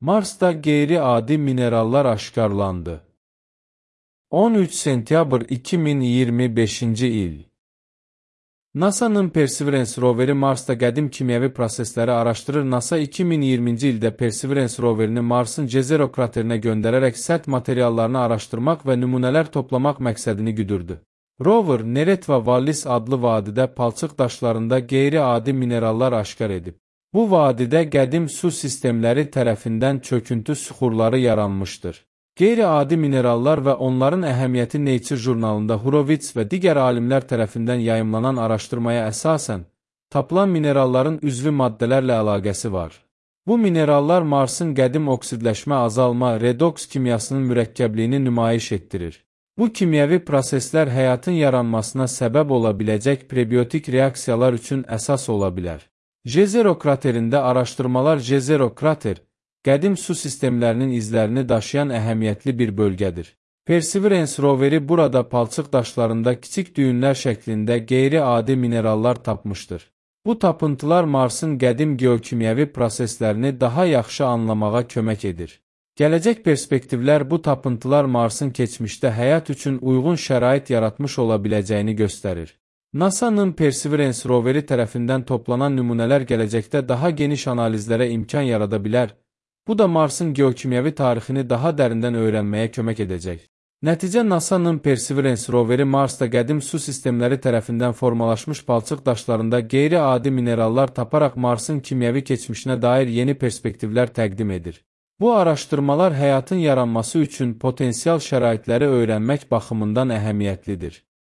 Marsda qeyri-adi minerallar aşkarlandı. 13 sentyabr 2025-ci il. NASA-nın Perseverance roveri Marsda qədim kimyəvi prosesləri araşdırır. NASA 2020-ci ildə Perseverance roverini Marsın Jezero kraterinə göndərərək sərt materiallarını araşdırmaq və nümunələr toplamaq məqsədini güdürdü. Rover, Neret və Wallis adlı vadidə palçıq daşlarında qeyri-adi minerallar aşkar edib. Bu vadidə qədim su sistemləri tərəfindən çöküntü süxurları yaranmışdır. Qeyri-adi minerallar və onların əhəmiyyəti Nature jurnalında Horowitz və digər alimlər tərəfindən yayımlanan araşdırmaya əsasən, tapılan mineralların üzvü maddələrlə əlaqəsi var. Bu minerallar Marsın qədim oksidləşmə azalma, redoks kimyasının mürəkkəbliyini nümayiş etdirir. Bu kimyəvi proseslər həyatın yaranmasına səbəb ola biləcək prebiotik reaksiyalar üçün əsas ola bilər. Jezero kraterində araşdırmalar. Jezero krater, qədim su sistemlərinin izlərini daşıyan əhəmiyyətli bir bölgədir. Perseverance roveri burada palçıq daşlarında kiçik düyünlər şəklində qeyri-adi minerallar tapmışdır. Bu tapıntılar Marsın qədim geokimyəvi proseslərini daha yaxşı anlamağa kömək edir. Gələcək perspektivlər bu tapıntılar Marsın keçmişdə həyat üçün uyğun şərait yaratmış ola biləcəyini göstərir. NASA-nın Perseverance roveri tərəfindən toplanan nümunələr gələcəkdə daha geniş analizlərə imkan yarada bilər. Bu da Marsın geokimyəvi tarixini daha dərindən öyrənməyə kömək edəcək. Nəticə NASA-nın Perseverance roveri Marsda qədim su sistemləri tərəfindən formalaşmış palçıq daşlarında qeyri-adi minerallar taparaq Marsın kimyəvi keçmişinə dair yeni perspektivlər təqdim edir. Bu araşdırmalar həyatın yaranması üçün potensial şəraitləri öyrənmək baxımından əhəmiyyətlidir.